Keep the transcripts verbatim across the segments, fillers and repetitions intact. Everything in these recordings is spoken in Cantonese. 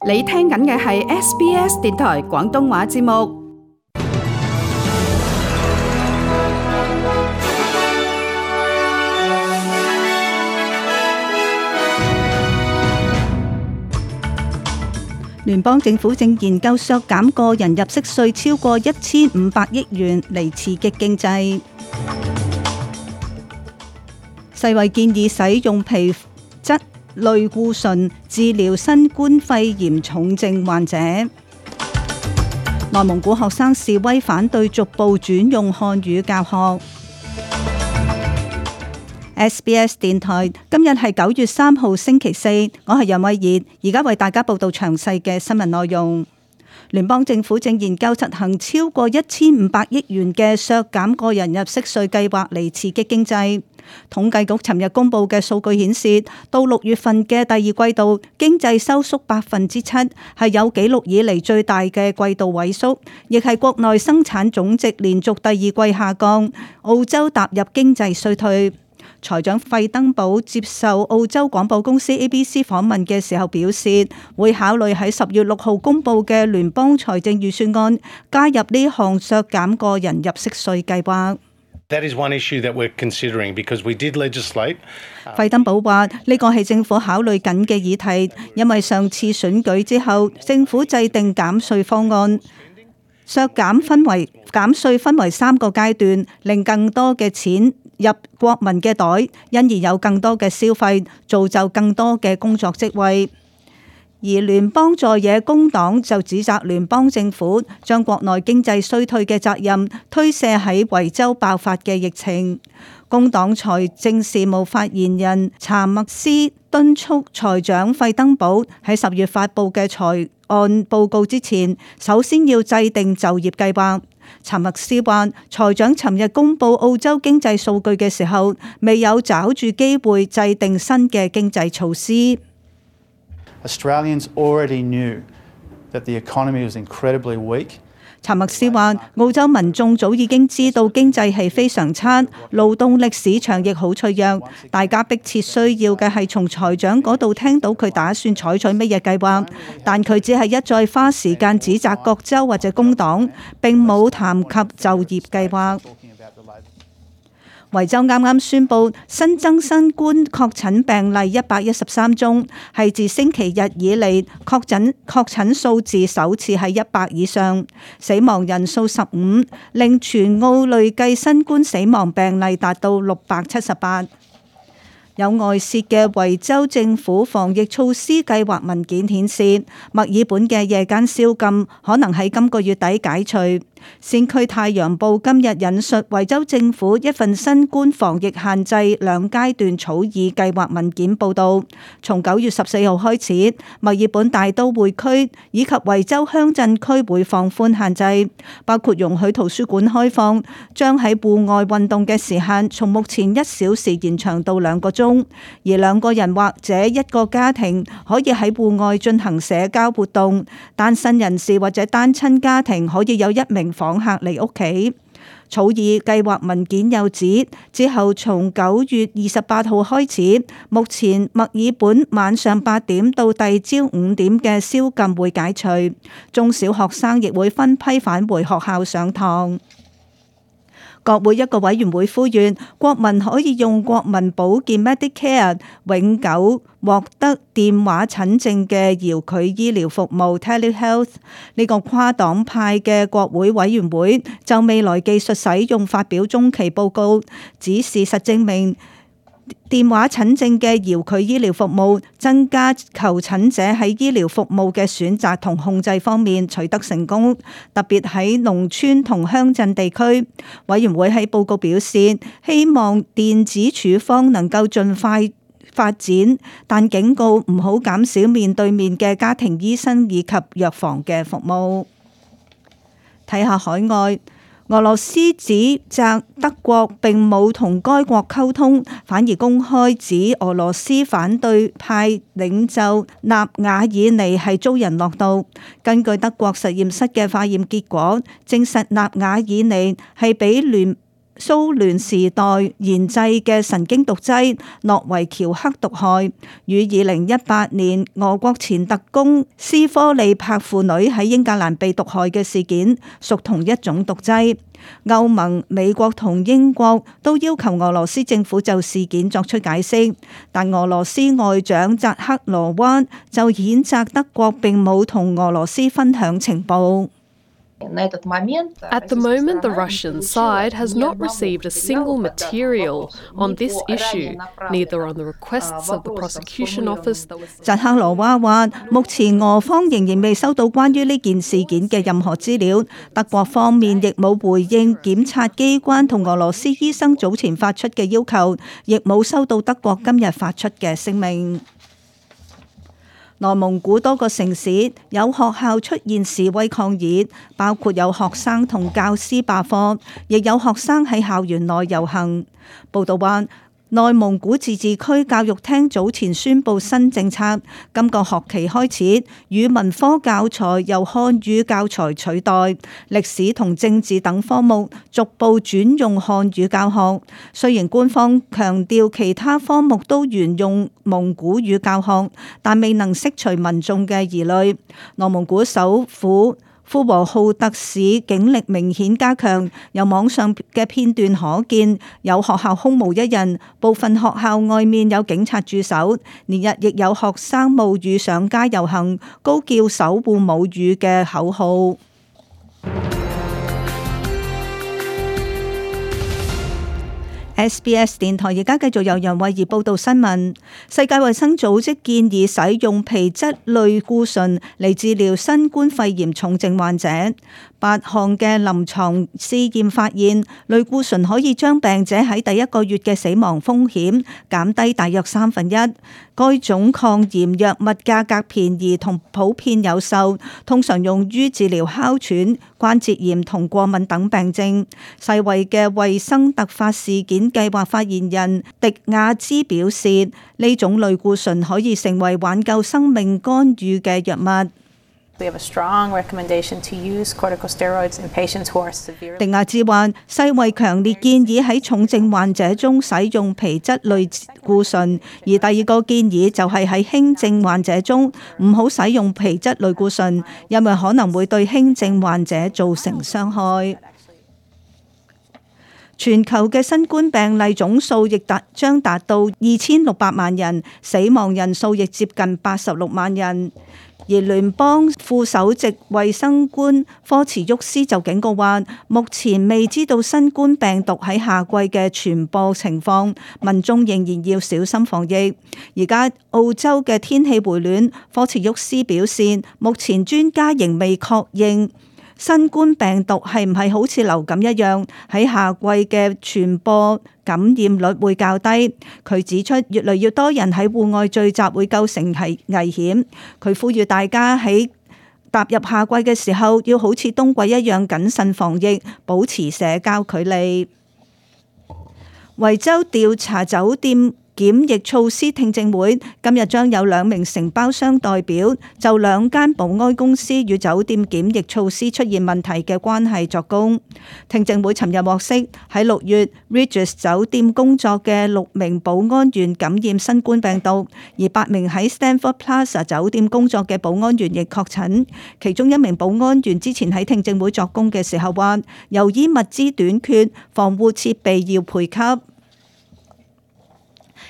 你聽緊嘅係 S B S 電台廣東話節目。聯邦政府正研究削減個人入息稅超過一千五百億元嚟刺激經濟。世衛建議使用皮質類固醇治療新冠肺炎重症患者。內蒙古學生示威反對逐步轉用漢語教學。S B S 電台今日係九月三號星期四，我係楊慧儀，而家為大家報道詳細嘅新聞內容。聯邦政府正研究實行超過一千五百億元嘅削減個人入息稅計劃嚟刺激經濟。統計局尋日公布嘅數據顯示，到六月份嘅第二季度，經濟收縮百分之七，係有紀錄以嚟最大嘅季度萎縮，亦係國內生產總值連續第二季下降。澳洲踏入經濟衰退。財長費登堡接受澳洲廣播公司 A B C 訪問嘅時候表示，會考慮喺十月六號公布嘅聯邦財政預算案加入呢項削減個人入息稅計劃。That is one issue that we're considering because we did legislate. 費登堡話：呢個係政府考慮緊嘅議題，因為上次選舉之後，政府制定減稅方案，削減分為減稅分為三個階段，令更多嘅錢入國民嘅袋，因而有更多嘅消費，造就更多嘅工作職位。而聯邦在野工黨就指責聯邦政府將國內經濟衰退嘅責任推卸喺維州爆發嘅疫情。工黨財政事務發言人查默斯敦促財長費登堡喺十月發布嘅財案報告之前，首先要制定就業計劃。查默斯話：財長尋日公布澳洲經濟數據嘅時候，未有抓住機會制定新嘅經濟措施。Australians already knew that the economy was incredibly weak. 查默斯話：澳洲民眾早已經知道經濟係非常差，勞動力市場亦好脆弱。大家迫切需要嘅係從財長嗰度聽到佢打算採取乜嘢計劃，但佢只係一再花時間指責各州或者工黨，並冇談及就業計劃。維州啱啱宣布新增新冠確診病例一百一十三宗，係自星期日以嚟確診確診數字首次喺一百以上，死亡人數十五，令全澳累計新冠死亡病例達到六百七十八。有外泄嘅維州政府防疫措施計劃文件顯示，墨爾本嘅夜間宵禁可能喺今個月底解除。先驅太陽報今日引述維州政府一份新冠防疫限制兩階段草擬計劃文件報導，從九月十四號開始，墨爾本大都會區以及維州鄉鎮區會放寬限制，包括容許圖書館開放，將喺戶外運動嘅時限從目前一小時延長到兩個鐘，而兩個人或者一個家庭可以喺戶外進行社交活動，單身人士或者單親家庭可以有一名訪客嚟屋企。草擬計劃文件又指，之後從九月二十八號開始，目前墨爾本晚上八點到第二朝五點嘅宵禁會解除，中小學生亦會分批返回學校上堂。國會一個委員會呼籲國民可以用國民保健 Medicare 永久獲得電話診症嘅遙距醫療服務 Telehealth。呢個跨黨派嘅國會委員會就未來技術使用發表中期報告，指事實證明電話診症嘅遙距醫療服務增加求診者喺醫療服務嘅選擇同控制方面取得成功，特別喺農村同鄉鎮地區。委員會喺報告表示，希望電子處方能夠盡快發展，但警告唔好減少面對面嘅家庭醫生以及藥房嘅服務。睇下海外。俄羅斯指責德國並冇同該國溝通，反而公開指俄羅斯反對派領袖納瓦爾尼係遭人落毒。根據德國實驗室嘅化驗結果，證實納瓦爾尼係俾聯蘇聯時代研製嘅神經毒劑諾維喬克毒害，與二零一八年俄國前特工斯科利帕父女喺英格蘭被毒害嘅事件屬同一種毒劑。歐盟、美國同英國都要求俄羅斯政府就事件作出解釋，但俄羅斯外長扎克羅娃就譴責德國並冇同俄羅斯分享情報。At the moment, the Russian side has not received a single material on this issue, neither on the requests of the prosecution office that was... 扎克羅娃話：目前俄方仍然未收到關於呢件事件嘅任何資料，德國方面亦冇回應檢察機關同俄羅斯醫生早前發出嘅要求，亦冇收到德國今日發出嘅聲明。內蒙古多個城市有學校出現示威抗議，包括有學生同教師罷課，亦有學生喺校園內遊行。報道話，內蒙古自治區教育廳早前宣布新政策，今個學期開始，語文科教材由漢語教材取代，歷史同政治等科目逐步轉用漢語教學。雖然官方強調其他科目都沿用蒙古語教學，但未能釋除民眾嘅疑慮。內蒙古首府呼和浩特市警力明顯加強，由網上嘅片段可見，有學校空無一人，部分學校外面有警察駐守，連日亦有學生冒雨上街遊行，高叫守護母語嘅口號。S B S 電台而家繼續由楊慧儀報道新聞。世界衛生組織建議使用皮質類固醇嚟治療新冠肺炎重症患者。八項嘅臨床試驗發現，類固醇可以將病者喺第一個月嘅死亡風險減低大約三分一。該種抗炎藥物價格便宜同普遍有售，通常用於治療哮喘、關節炎同過敏等病症。世衛嘅衛生突發事件計劃發言人迪亞茲表示，呢種類固醇可以成為挽救生命干預嘅藥物。We have a strong recommendation to use corticosteroids in patients who are severe. 迪亞茲話：世衛強烈建議喺重症患者中使用皮質類固醇，而第二個建議就係喺輕症患者中唔好使用皮質類固醇，因為可能會對輕症患者造成傷害。全球嘅新冠病例總數亦達將達到二千六百萬人，死亡人數亦接近八十六萬人。而聯邦副首席衛生官科茨沃斯就警告話，目前未知道新冠病毒喺夏季嘅傳播情況，民眾仍然要小心防疫。而家澳洲嘅天氣回暖，科茨沃斯表示，目前專家仍未確認新冠病毒係唔係好似流感一樣喺夏季嘅傳播感染率會較低。佢指出，越嚟越多人喺戶外聚集會構成係危險。佢呼籲大家喺踏入夏季嘅時候，要好似冬季一樣謹慎防疫，保持社交距離。維州調查酒店檢疫措施聽證會今日將有兩名承包商代表就兩間保安公司與酒店檢疫措施出現問題嘅關係作供。聽證會尋日獲悉，喺六月 Regis 酒店工作嘅六名保安員感染新冠病毒，而八名喺 Stanford Plaza 酒店工作嘅保安員亦確診。其中一名保安員之前喺聽證會作供嘅時候話，由於物資短缺，防護設備要配給。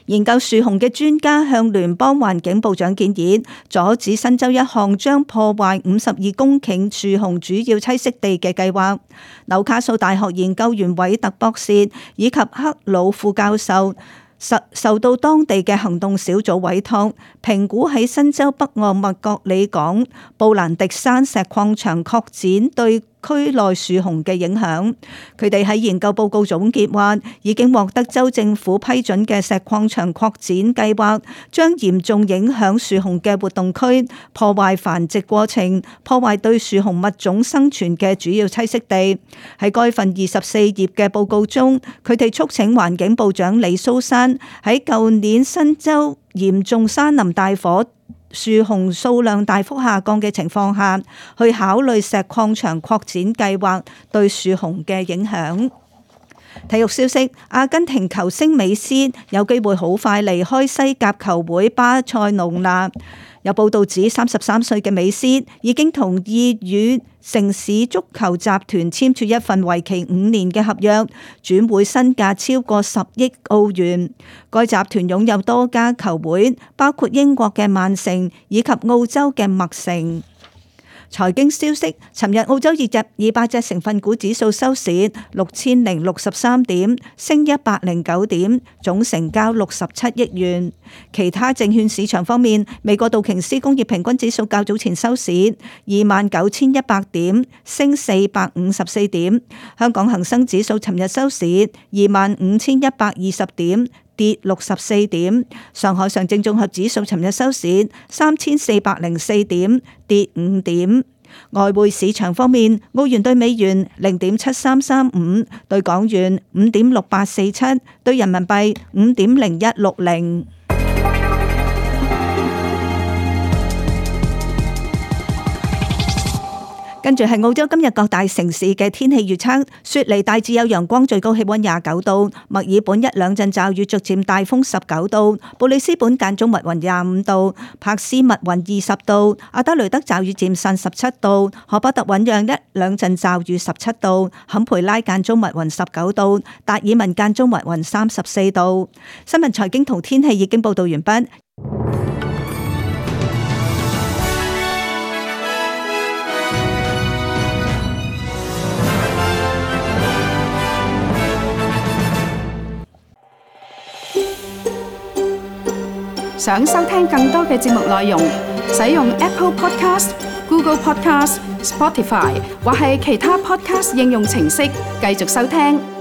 研究樹熊嘅專家向聯邦環境部長建議，阻止新州一項將破壞五十二公頃樹熊主要棲息地嘅計劃。紐卡素大學研究員韋特博士以及克魯副教授受受到當地嘅行動小組委託，評估喺新州北岸麥角里港布蘭迪山石礦場擴展對區內樹熊嘅影響。佢哋喺研究報告總結話，已經獲得州政府批准嘅石礦場擴展計劃，將嚴重影響樹熊嘅活動區，破壞繁殖過程，破壞對樹熊物種生存嘅主要棲息地。喺該份二十四頁嘅報告中，佢哋促請環境部長李蘇珊喺舊年新州嚴重山林大火樹熊數量大幅下降嘅情況下，去考慮石礦場擴展計劃對樹熊嘅影響。體育消息，阿根廷球星美斯有機會好快離開西甲球會巴塞隆納。有報道指，三十三歲嘅美斯已經同意與城市足球集團簽署一份為期五年嘅合約，轉會身價超過十億澳元。該集團擁有多家球會，包括英國嘅曼城以及澳洲嘅麥城。財經消息，尋日澳洲二隻二百隻成分股指數收市六千零六十三點，升一百零九點，總成交六十七億元。其他證券市場方面，美國道瓊斯工業平均指數較早前收市二萬九千一百點，升四百五十四點。香港恒生指數尋日收市二萬五千一百二十點，跌六十四點。上海上證綜合指數尋日收市三千四百零四點，跌五點。外匯市場方面，澳元對美元零點七三三五，對港元五點六八四七，對人民幣五點零一六零。跟住係澳洲今日各大城市嘅天氣預測：雪梨大致有陽光，最高氣溫廿九度；墨爾本一兩陣驟雨，逐漸大風十九度；布里斯本間中密雲廿五度；柏斯密雲二十度；阿德雷德驟雨漸散十七度；荷伯特醞釀一兩陣驟雨十七度；坎培拉間中密雲十九度；達爾文間中密雲三十四度。新聞財經同天氣已經報道完畢。想收聽更多嘅節目內容，使用 Apple Podcast、Google Podcast、Spotify 或係其他 Podcast 應用程式繼續收聽。